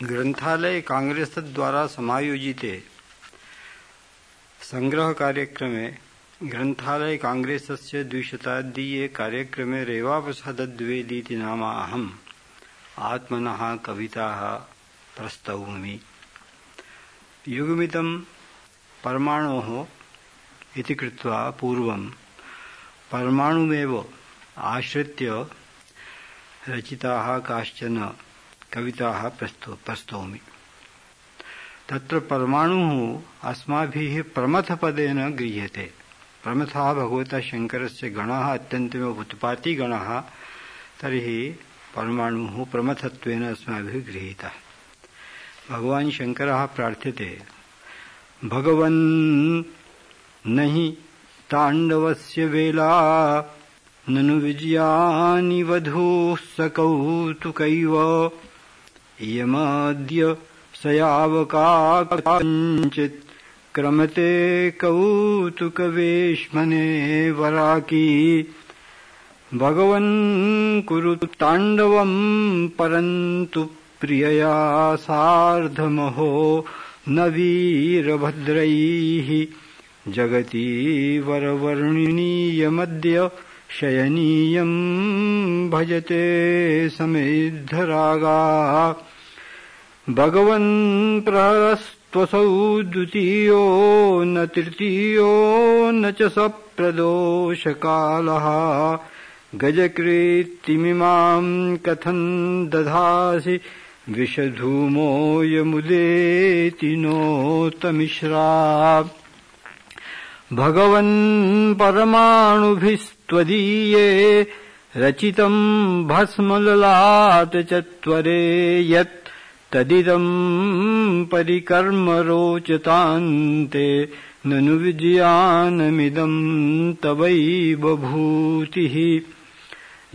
ग्रंथालय कांग्रेस द्वारा समायोजिते संग्रह कार्यक्रमे ग्रंथालय कांग्रेसस्य द्विशताब्दीये कार्यक्रमे रेवाप्रसाद द्विवेदीति नाम अहम् आत्मनः कविताः प्रस्तौमि। युगमिदं परमाणोः इति कृत्वा पूर्वं परमाणुमेव आश्रित्य रचिताः काश्चन कविताः प्रस्तौमि। तत्र परमाणुः अस्माभिः प्रमथपदेन गृह्यते। प्रमथः भगवतः शङ्करस्य गणः अत्यन्तमेव उत्पाती गणः, तर्हि परमाणुः प्रमथत्वेन अस्माभिः गृहीतः। भगवान् शङ्करः प्रार्थ्यते, भगवन् नहि ताण्डवस्य वेला ननु विजयानि वधूः सकौतुकैव इयमद्य सयावका कञ्चित् क्रमते कौतुकवेश्मने वराकी। भगवन् कुरु ताण्डवं परन्तु प्रियया सार्धमहो न वीरभद्रैः जगति वरवर्णिनीयमद्य शयनीयं भजते समेद्धरागा। भगवन् प्रहरस्त्वसौ द्वितीयो न तृतीयो न च सप्रदोषकालः गजकृत्तिमिमां कथं दधासि विषधूमोऽयमुदेति नोतमिश्रा। भगवन् परमाणुभिस्त्वदीये रचितं भस्मललाटचत्वरे यत् तदिदं परिकर्म रोचतान्ते ननु विजयानमिदं तवैव भूतिः।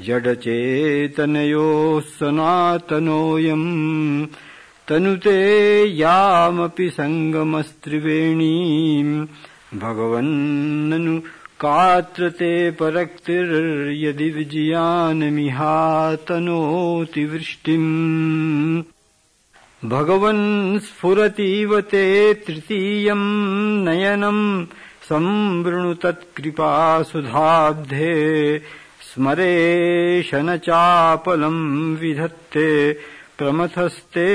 जडचेतनयोः सनातनोऽयं तनुते यामपि सङ्गमस्त्रिवेणीम्। भगवन्ननु कात्रते परक्तिर्यदि विजयानमिहातनोति वृष्टिम्। भगवन् स्फुरतीव ते तृतीयं नयनं संवृणु तत्कृपासुधाब्धे स्मरेशन चापलं विधत्ते प्रमथस्ते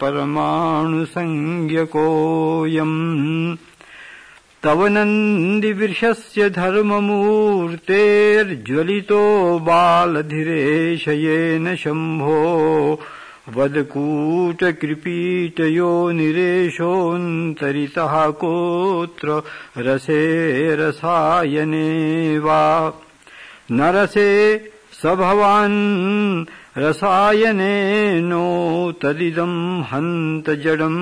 परमाणुसंज्ञकोऽयम्। तव नन्दिवृषस्य धर्ममूर्तेर्ज्वलितो बालधिरेशयेन शम्भो वदकूटकृपीटयो निरेशोऽन्तरितः कोत्र रसे रसायने वा। न रसे स भवान् रसायने नो तदिदं हन्त जडं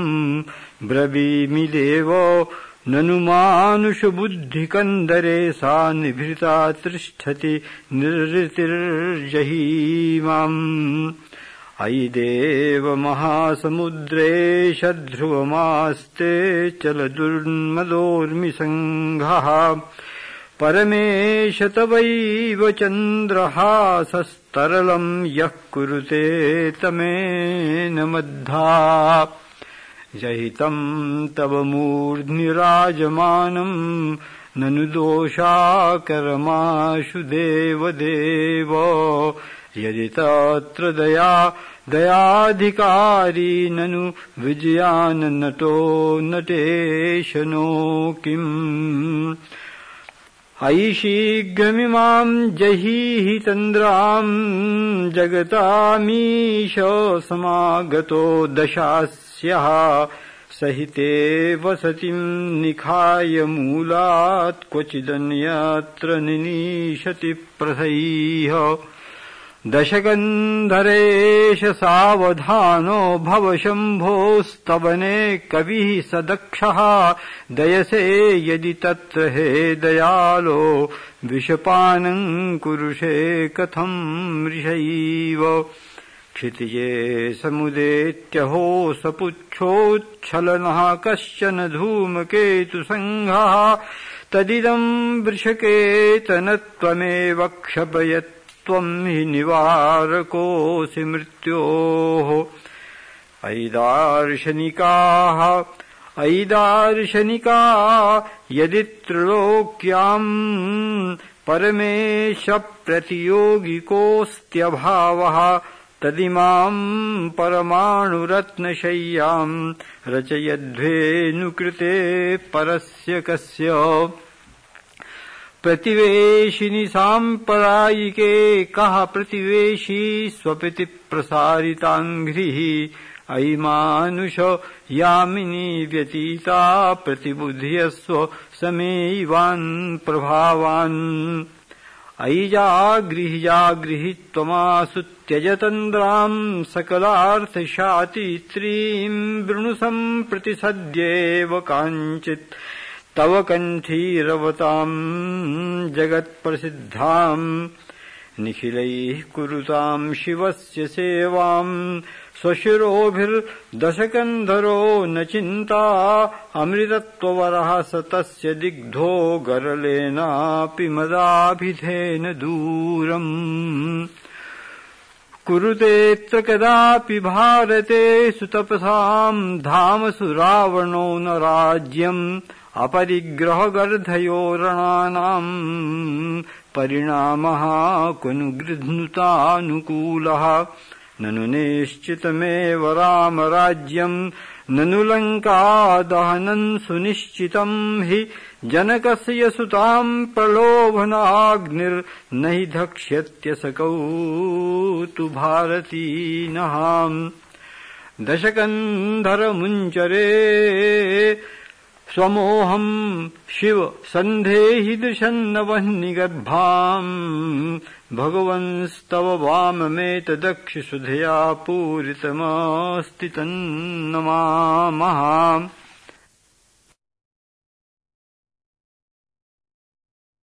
ब्रवीमि देवो ननु मानुषबुद्धिकन्दरे सा निभृता तिष्ठति निर्ऋतिर्जहीमाम्। अयि देव महासमुद्रेश ध्रुवमास्ते चलदुर्मदोर्मिसङ्घः परमेश तवैव चन्द्रहासस्तरलं यः कुरुते तमेन मद्धा। जहितं तव मूर्ध्नि राजमानं ननु दोषाकरमाशु देवदेव। यदि तत्र दयाधिकारी ननु विजयाननटो नटेशनो किम्। अयि शीघ्रमिमां जहीहि तन्द्रां जगतामीश समागतो दशास्यः सहिते वसतिं निखाय मूलात् क्वचिदन्यत्र निनीशति प्रथैः। दशगन्धरेश सावधानो भव शम्भोस्तवने कविः स दक्षः दयसे यदि तत्र हे दयालो विषपानं कुरुषे कथं मृषैव। क्षितिजे समुदेत्यहो सपुच्छोच्छलनः कश्चन धूमकेतुसङ्घः तदिदं वृषकेतनत्वमेव क्षपयत् त्वं हि निवारकोऽसि मृत्योः। अयि दार्शनिका यदि त्रैलोक्याम् परमेश प्रतियोगिकोऽस्त्यभावः तदिमाम् परमाणुरत्नशय्याम् रचयध्वेनुकृते परस्य कस्य प्रतिवेशिनि साम्परायिके कः प्रतिवेशी स्वपिति प्रसारिताङ्घ्रिः अयि मानुष यामिनी व्यतीता प्रतिबुध्यस्व समेवान् प्रभावान् अयि जागृहि त्वमासु त्यजतन्द्राम् सकलार्थशातित्रीम् वृणु सम्प्रति सद्येव काञ्चित् तव कण्ठीरवताम् जगत्प्रसिद्धाम् निखिलैः कुरुताम् शिवस्य सेवाम् स्वशिरोभिर्दशकन्धरो न चिन्ता अमृतत्ववरः स तस्य दिग्धो गरलेनापि मदाभिधेन दूरम् कुरुतेऽत्र कदापि भारते सुतपसाम् धामसु रावणो न राज्यम् अपरिग्रहगर्धयो रणानाम् परिणामः कुनु गृह्णुतानुकूलः ननु निश्चितमेव रामराज्यम् ननु लङ्कादहनम् सुनिश्चितम् हि जनकस्य सुताम् प्रलोभनाग्निर्न हि धक्ष्यत्यसकौ तु भारतीनः दशकन्धरमुञ्चरे स्वमोहम् शिव सन्धेहि दृशन्नवह्निगर्भाम् भगवंस्तव वाममेतदक्षिसुधया पूरितमस्ति तन्नमामः।